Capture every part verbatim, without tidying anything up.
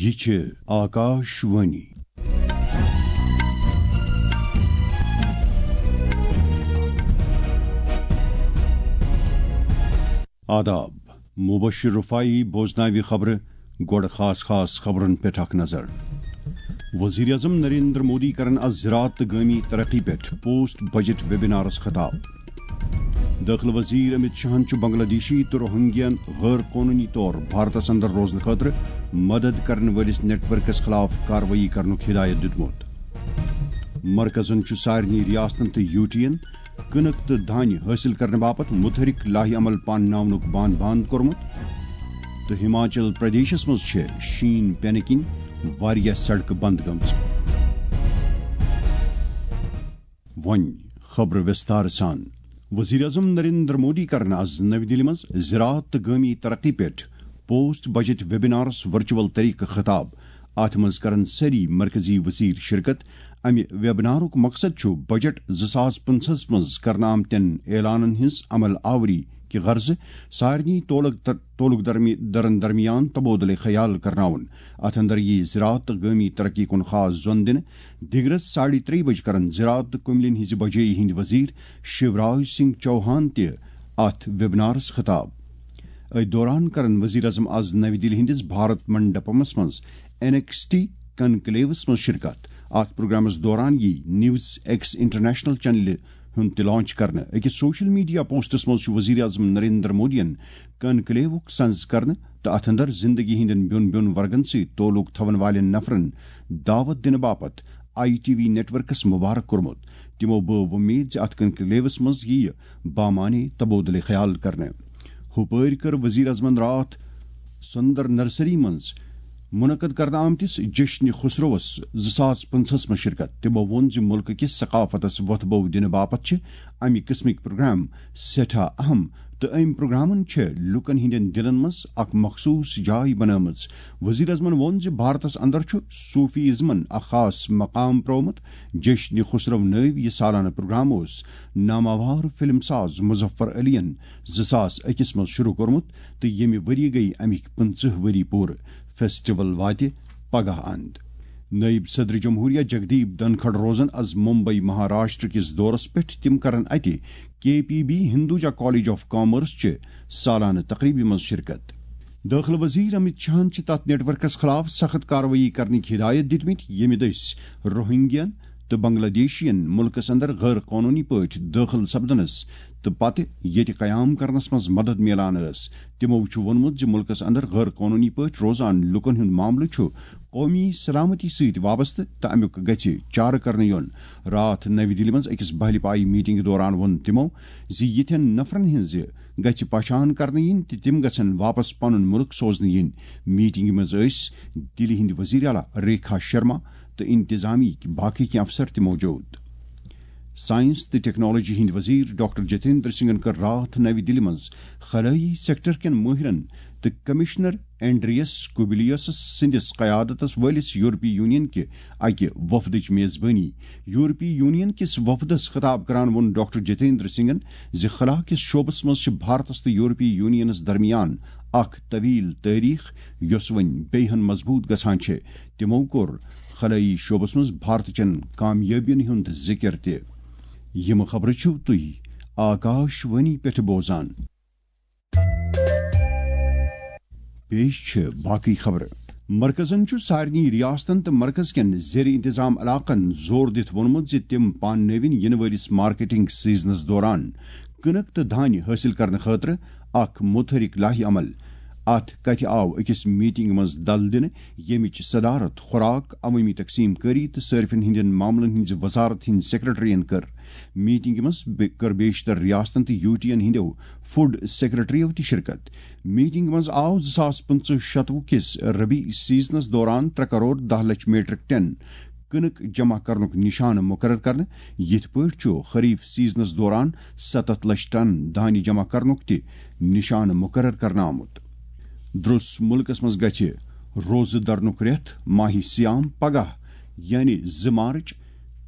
یہِ چھِ آکاش وانی۔ آداب، مبشر رفاعی بوزناوِ خبرٕ۔ گۄڈٕ خاص خاص خبرن پٮ۪ٹھ اکھ نظر۔ وزیر اعظم نریندر مودی کرن از زراعت تہٕ گٲمی ترقی پٮ۪ٹھ پوسٹ بجٹ ویبینارس خطاب۔ دٲخلہٕ وزیر امت شاہن چھُ بنگلہ دیشی تہٕ روہنگین غٲر قونوٗنی طور بھارتس اندر روزنہٕ خٲطرٕ مدد کرن وٲلِس نیٹ ورکس خلاف کاروٲیی کرنُک ہدایت دیُتمُت۔ مرکزن چھُ سارنٕے ریاستن تہٕ یوٗٹین کٕنٕک تہٕ دانہِ حٲصِل کرنہٕ باپتھ متحرک لاہہِ عمل پانناونُک بان بند کوٚرمُت۔ تہٕ ہماچل پردیشس منٛز چھِ شیٖن پینہٕ کِنۍ واریاہ سڑکہٕ بند گٔمژٕ۔ وۄنۍ خبرٕ وِستار سان۔ وزیر اعظم نریندر مودی کرن از نَوِ دِلہِ منٛز زراعت تہٕ گٲمی ترقی پٮ۪ٹھ پوسٹ بجٹ ویبینارس ورچوئل طریقہٕ خطاب۔ اتھ منٛز کرن سٲری مرکزی وزیر شرکت۔ امہِ ویبنارُک مقصد چھُ بجٹ زٕ ساس پٕنٛژٕہس منٛز کرنہٕ آمتٮ۪ن اعلانن ہٕنٛز عمل آوری کہِ غرضہٕ سارنٕے تولک تر-، تولک درمی-، درن درمیان تبادلہٕ خیال کرناوُن۔ اتھ اندر ییہِ زراعت تہٕ گٲمی ترقی کُن خاص زۄن دِنہٕ۔ دِگرس ساڑِ ترٛیٚیہِ بجہِ کرن زراعت تہٕ کُملین ہٕنٛزِ بجٲیی ہٕنٛدۍ وزیر شیوراج سنگھ چوہان تہِ اتھ ویبنارس خطاب۔ أتھۍ دوران کرن وزیر اعظم از نَوِ دِلہِ ہٕنٛدِس بھارت منڈپمس منٛز این ایکس ٹی کنکلیوس منٛز شرکت۔ اتھ پروگرامس دوران ییہِ نیوز ایکس انٹرنیشنل چینلہِ ہُنٛد تہِ لانچ کرنہٕ۔ أکِس سوشل میڈیا پوسٹس منٛز چھُ وزیر اعظم نریندر مودیَن کنکلیوُک سنز کرنہٕ تہٕ اتھ اندر زندگی ہٕنٛدٮ۪ن بیوٚن بیوٚن ورگن سۭتۍ تعلق تھاون والٮ۪ن نفرن دعوت دِنہٕ باپتھ I T V networks مبارک کوٚرمُت۔ تِمو بٲو وۄمید زِ اتھ کنکلیوس منٛز یِیہِ بامعنی تبادلہٕ خیال کرنہٕ۔ ہُپٲرۍ کٔر وزیر اعظمن راتھ سندر نرسری منٛز منعقد کرنہٕ آمتِس جشن خسروس زٕ ساس پٕنٛژٕہس منٛز شرکت۔ تِمو ووٚن زِ مُلکہٕ کِس ثقافتس وۄتھٕ بو دِنہٕ باپتھ چھِ امہِ قٕسمٕکۍ پروگرام سٮ۪ٹھاہ اہم تہٕ امہِ پروگرامن چھےٚ لوٗکن ہٕنٛدٮ۪ن دِلن منٛز اکھ مخصوٗص جاے بنٲومٕژ۔ وزیر اعظمن ووٚن زِ بھارتس اندر چھُ صوفی ازمن اکھ خاص مقام پرٛوومُت۔ جشن خسرو نٲوۍ یہِ سالانہٕ پروگرام اوس ناماوار فلم ساز مظفر علی ین زٕ ساس أکِس منٛز شروع کوٚرمُت تہٕ ییٚمہِ ؤریہِ گٔیہِ امِکۍ پٕنٛژٕہ ؤری پوٗرٕ۔ فیسٹیول واتہِ پگاہ اند۔ نٲیِب صدر جمہوریہ جگدیپ دھنکھڑ روزن از ممبئی مہاراشٹر کِس دورس پٮ۪ٹھ۔ تِم کرن اتہِ K P B Hinduja college of commerce چہِ سالانہٕ تقریبہِ منٛز شرکت۔ دٲخلہٕ وزیر امت شاہن چھِ تتھ نیٹ ورکس خلاف سخت کاروٲیی کرنٕکۍ ہدایت دِتمٕتۍ، ییٚمہِ دٔسۍ روہنگین تہٕ بنگلہ دیشین مُلکس اندر غٲر قونوٗنی پٲٹھۍ دٲخل سپدنس تہٕ پتہٕ ییٚتہِ قیام کرنس منٛز مدد میلان ٲس۔ تِمو چھُ ووٚنمُت زِ مُلکس اندر غٲر قونوٗنی پٲٹھۍ روزان لوٗکن ہُنٛد معاملہٕ چھُ قومی سلامتی سۭتۍ وابستہٕ تہٕ امیُک گژھِ چارٕ کرنہٕ یُن۔ راتھ نَوِ دِلہِ منٛز أکِس بہلہِ پایہِ میٹنگہِ دوران ووٚن تِمو زِ یِتھٮ۪ن نفرن ہٕنٛزِ گژھِ پہچان کرنہٕ یِنۍ تہٕ تِم گژھن واپس پنُن مُلک سوزنہٕ یِنۍ۔ میٹنگہِ منٛز ٲسۍ دِلہِ ہٕنٛدۍ وزیر اعلیٰ ریکھا شرما تہٕ انتظامیہ باقی کینٛہہ افسر تہِ موجود۔ سائنس تہٕ ٹیکنالوجی ہٕنٛدۍ وزیر ڈاکٹر جتیندر سنگھن کٔر راتھ نَوِ دِلہِ منٛز خلٲیی سیکٹر کٮ۪ن مٲہرن تہٕ کمشنر اینڈریس کوبلیوس سٕنٛدِس قیادتس وٲلِس یورپی یونین کہِ اکہِ وفدٕچ میزبٲنی۔ یورپی یونین کِس وفدس خطاب کران ووٚن ڈاکٹر جتیندر سنگھن زِ خلا کِس شعبس منٛز چھِ بھارتس تہٕ یورپی یونینس درمیان اکھ طویل تٲریخ، یۄس وۄنۍ بیٚیہِ ہن مضبوط گژھان چھِ۔ تِمو کوٚر خلٲیی شعبس منٛز بھارتٕچن کامیٲبین ہُنٛد ذِکر تہِ۔ یِم خبرٕ چھِو تُہۍ آکاش وانی پٮ۪ٹھ بوزان۔ پیش چھِ باقٕے خبرٕ۔ مرکزن چھُ سارنٕے ریاستن تہٕ مرکز کٮ۪ن زیر انتظام علاقن زور دِتھ ووٚنمُت زِ تِم پاننٲوِن یِنہٕ وٲلِس مارکیٹنگ سیزنس دوران کٕنٕک تہٕ دانہِ حٲصِل کرنہٕ خٲطرٕ اکھ مُتحرِک لاہہِ عمل۔ اتھ کتھِ آو أکِس میٹنگ منٛز دل دِنہٕ، ییٚمِچ صدارت خوراک، عوٲمی تقسیم کٲری تہٕ صٲرفین ہٕنٛدٮ۪ن معاملن ہٕنٛزِ وزارت ہٕنٛدۍ سیکرٹریَن کٔر۔ میٹنگہِ منٛز بے-، کٔر بیشتر ریاستن تہٕ یوٗٹین ہٕنٛدٮ۪و فوڈ سیکرٹریو تہِ شرکت۔ میٹنگہِ منٛز آو زٕ ساس پٕنٛژٕہ شتوُہ کِس ربیع سیزنس دوران ترٛےٚ کرور دَہ لچھ میٹرک ٹن کٕنٕک جمع کرنُک نشانہٕ مقرر کرنہٕ۔ یِتھ پٲٹھۍ چھُ خریف سیزنس دوران ستتھ لچھ ٹن دانہِ جمع کرنُک تہِ نشانہٕ مقرر کرنہٕ آمُت۔ درٛوس مُلکس منٛز گژھِ روزٕ درنُک رٮ۪تھ ماہِ صیام پگاہ، یعنی زٕ مارچ،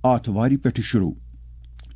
آتھوارِ پٮ۪ٹھٕ شروع۔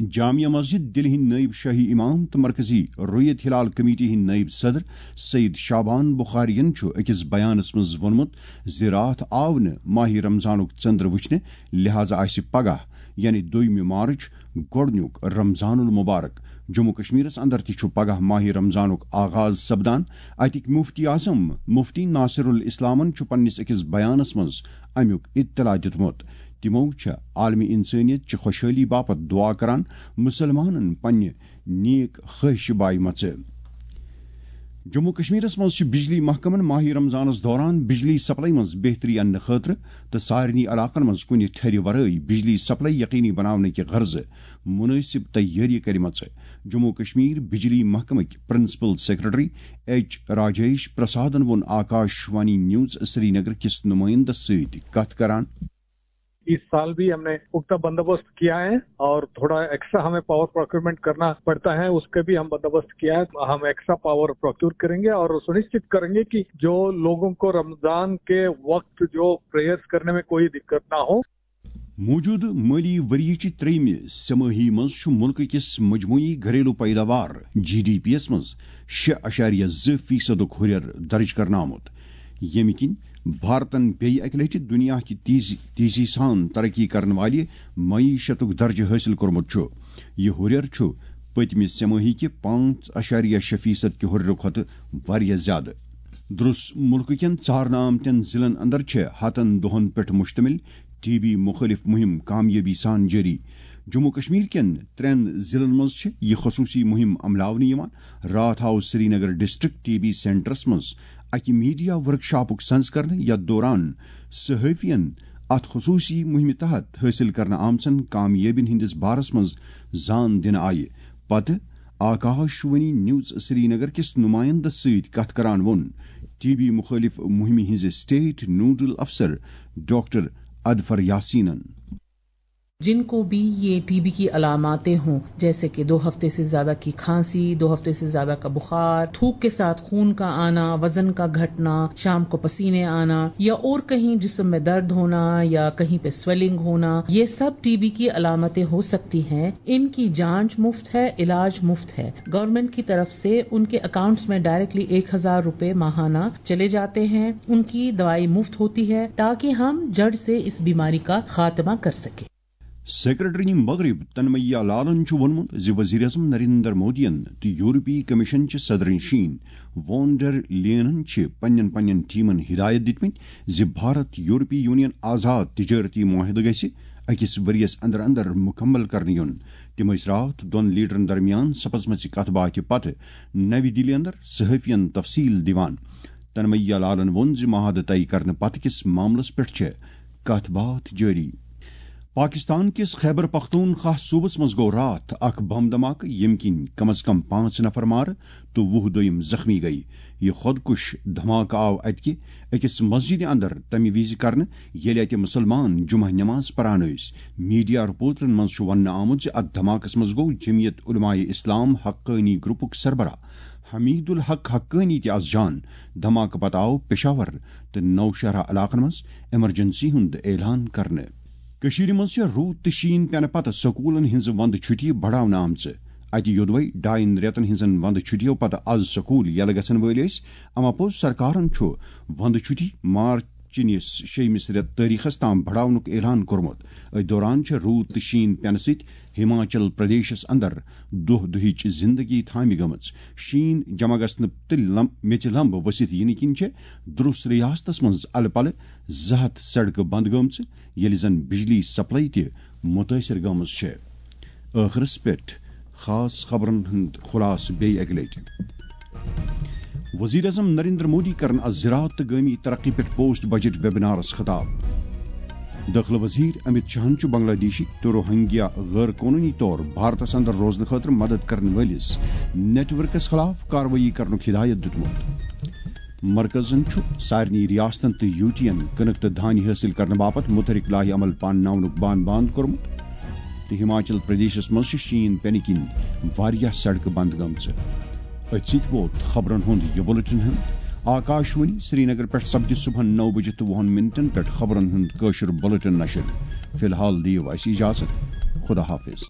جامع مسجد دِلہِ ہٕنٛدۍ نٲیِب شٲہی امام تہٕ مرکزی رُیت ہلال کمیٹی ہٕنٛدۍ نٲیِب صدر سید شعبان بخارین چھُ أکِس بیانس منٛز ووٚنمُت زِ راتھ آو نہٕ ماہِ رمضانُک ژٔنٛدر وٕچھنہٕ، لہذا آسہِ پگاہ، یعنی دوٚیمہِ مارچ، گۄڈٕنیُک رمضان المبارک۔ جموں کشمیرس اندر تہِ چھُ پگاہ ماہِ رمضانُک آغاز سپدان۔ اتِکۍ مفتی اعظم مفتی ناصر الاسلامن چھُ پننِس أکِس بیانس منٛز امیُک اطلاع دِیُتمُت۔ تِمو چھےٚ عالمی انسٲنیت چہِ خۄشحٲلی باپتھ دعا کران مُسلمانن پننہِ نیک خواہشہِ بایمژٕ۔ جموں کشمیرس منٛز چھِ بجلی محکمن ماہِ رمضانس دوران بجلی سپلائی منٛز بہتری اننہٕ خٲطرٕ تہٕ سارنٕے علاقن منٛز کُنہِ ٹھرِ ورٲے بجلی سپلائی یقینی بناونہٕ کہِ غرضہٕ مناسب تیٲری کرِمژٕ۔ جموں کشمیر بجلی محکمٕکۍ پرنسپل سیکرٹری ایچ راجیش پرسادن ووٚن آکاش وانی نیوز سرینگر کِس نمائندس سۭتۍ کتھ کران۔ इस साल भी हमने पुख्ता बंदोबस्त किया है और थोड़ा एक्स्ट्रा हमें पावर प्रोक्योरमेंट करना पड़ता है, उसके भी हम बंदोबस्त किया है। हम एक्स्ट्रा पावर प्रोक्योर करेंगे और सुनिश्चित करेंगे कि जो लोगों को रमजान के वक्त जो प्रेयर्स करने में कोई दिक्कत ना हो। موجودٕ مٲلی ؤریہِ چہِ ترٛیٚیِمہِ سہ مٲہی منٛز چھُ مُلکہٕ کِس مجموعی گھریلو پیداوار، جی ڈی پی یَس منٛز شےٚ اَشاریہ زٕ فیصدُک ہُرٮ۪ر درٕج کرنہٕ آمُت، ییٚمہِ کِنۍ بھارتن بیٚیہِ اَکہِ لَٹہِ دُنیا کہِ تیزی تیزی سان ترقی کرن والہِ معیشتُک درجہٕ حٲصِل کوٚرمُت چھُ۔ یہِ ہُرٮ۪ر چھُ پٔتمہِ سہ مٲہی کہِ پانٛژھ اَشاریہ شےٚ فیصد کہِ ہُرٮ۪رٕ کھۄتہٕ واریاہ زیادٕ۔ درس مُلکہٕ کٮ۪ن ژارنہٕ آمتٮ۪ن ضلعن اندر چھِ ہتن دۄہن پٮ۪ٹھ مشتمل ٹی بی مخٲلف مُہِم کامیٲبی سان جٲری۔ جموں کشمیر کٮ۪ن ترٛٮ۪ن ضلعن منٛز چھِ یہِ خصوٗصی مُہِم عملاونہٕ یِوان۔ راتھ آو سرینگر ڈسٹرکٹ ٹی بی سینٹرس منٛز اکہِ میڈیا ورکشاپُک سنز کرنہٕ، یتھ دوران صحافین اتھ خصوٗصی مُہِمہِ تحت حٲصِل کرنہٕ آمژن کامیٲبین ہٕنٛدِس بارس منٛز زان دِنہٕ آیہِ۔ پتہٕ آکاش وانی نیوز سرینگر کِس نمائندس سۭتۍ کتھ کران ووٚن ٹی بی مخٲلف مُہِمہِ ہٕنٛزِ اسٹیٹ نوڈل افسر ڈاکٹر اظفر یاسینن۔ जिनको भी ये टीबी की अलामतें हों, जैसे कि दो हफ्ते से ज्यादा की खांसी, दो हफ्ते से ज्यादा का बुखार, थूक के साथ खून का आना, वजन का घटना, शाम को पसीने आना या और कहीं जिस्म में दर्द होना या कहीं पे स्वेलिंग होना, ये सब टीबी की अलामतें हो सकती हैं। इनकी जांच मुफ्त है, इलाज मुफ्त है। गवर्नमेंट की तरफ से उनके अकाउंट्स में डायरेक्टली एक हजार रुपए माहाना चले जाते हैं। उनकी दवाई मुफ्त होती है, ताकि हम जड़ से इस बीमारी का खात्मा कर सकें। سیکرٹری مغرب تنمیہ لالن چھُ ووٚنمُت زِ وزیر اعظم نریندر مودیَن تہٕ یورپی کمیشن چہِ صدر نشین وون ڈر لینن چھِ پننٮ۪ن پننٮ۪ن ٹیمن ہدایت دِتمٕتۍ زِ بھارت یورپی یونین آزاد تجارتی معاہدٕ گژھِ أکِس ؤرۍ یَس اندر اندر مُکمل کرنہٕ یُن۔ تِم ٲسۍ راتھ دۄن لیڈرن درمیان سپزمژِ کتھ باتھِ پتہٕ نَوِ دِلہِ اندر صحافین تفصیل دِوان۔ تنمیہ لالن ووٚن زِ معاہدٕ طے کرنہٕ پتہٕ کِس معاملس پٮ۪ٹھ چھےٚ کتھ باتھ جٲری۔ پاکستان کِس خیبر پختونخوا صوبس منٛز گوٚو راتھ اکھ بم دھماکہٕ، ییٚمہِ کِنۍ کم از کم پانٛژھ نفر مارٕ تہٕ وُہ دوٚیِم زخمی گٔیہِ۔ یہِ خۄدکُش دھماکہٕ آو اتہِ کہِ أکِس مسجدِ اندر تمہِ وِزِ کرنہٕ، ییٚلہِ اتہِ مُسلمان جمعہ نماز پران ٲسۍ۔ میڈیا رپورٹن منٛز چھُ وننہٕ آمُت زِ اتھ دھماکس منٛز گوٚو جمعیت علماء اسلام حقانی گروپُک سربراہ حمید الحق حقانی تہِ از جان۔ دھماکہٕ پتہٕ آو پشاور تہٕ نوشہرہ علاقن منٛز ایمرجنسی ہُنٛد اعلان کرنہٕ۔ کٔشیٖرِ منٛز چھےٚ روٗد تہٕ شیٖن پٮ۪نہٕ پتہٕ سکوٗلن ہٕنٛزٕ ونٛدٕ چھُٹیہِ بڑاونہٕ آمژٕ۔ اتہِ یوٚدوے ڈاین رٮ۪تن ہٕنٛزن ونٛدٕ چھُٹیو پتہٕ از سکوٗل یلہٕ گژھن وٲلۍ ٲسۍ، اما پوٚز سرکارن چھُ ونٛدٕ چھُٹی مارچ چِنِس شیٚیمِس رٮ۪تہٕ تٲریخس تام بڑاونُک اعلان کوٚرمُت۔ أتھۍ دوران چھےٚ روٗد تہٕ شیٖن پٮ۪نہٕ سۭتۍ ہماچل پردیشس اندر دۄہ دۄہٕچ زندگی تھامہِ گٔمٕژ۔ شیٖن جمع گژھنہٕ تہٕ لم-، میٚژِ لمبہٕ ؤسِتھ یِنہٕ کِنۍ چھےٚ درُس ریاستس منٛز الہٕ پلہٕ زٕ ہتھ سڑکہٕ بند گٔمژٕ، ییٚلہِ زن بجلی سپلائی تہِ مُتٲثر گٔمٕژ چھےٚ۔ ٲخرس پٮ۪ٹھ خاص خبرن ہُنٛد خلاصہٕ بیٚیہِ اکہِ لٹہِ۔ وزیر اعظم نریندر مودی کرن از زراعت تہٕ گٲمی ترقی پٮ۪ٹھ پوسٹ بجٹ ویبنارس خطاب۔ دٲخلہٕ وزیر امت شاہن چھُ بنگلہ دیشی تہٕ روہنگیا غٲر قونوٗنی طور بھارتس اندر روزنہٕ خٲطرٕ مدد کرن وٲلِس نیٹ ورکس خلاف کاروٲیی کرنُک ہدایت دِیُتمُت۔ مرکزن چھُ سارنٕے ریاستن تہٕ یوٗٹین کٕنٕک تہٕ دھانہِ حٲصِل کرنہٕ باپتھ مُتحرک لایحہ عمل پانناونُک بان باند کوٚرمُت تہٕ ہماچل پردیشس منٛز چھِ شیٖن پینہٕ کِنۍ واریاہ سڑکہٕ بند گٔمژٕ۔ أتھۍ سۭتۍ ووت خبرن ہُنٛد یہِ بُلٹن ہُنٛد۔ آکاش وانی سرینگر پٮ۪ٹھ سپدِ صبحن نو بجہِ تہٕ وُہن منٹن پٮ۪ٹھ خبرن ہُنٛد کٲشُر بُلٹن نشر۔ فی الحال دِیِو اَسہِ اجازت۔ خدا حافظ۔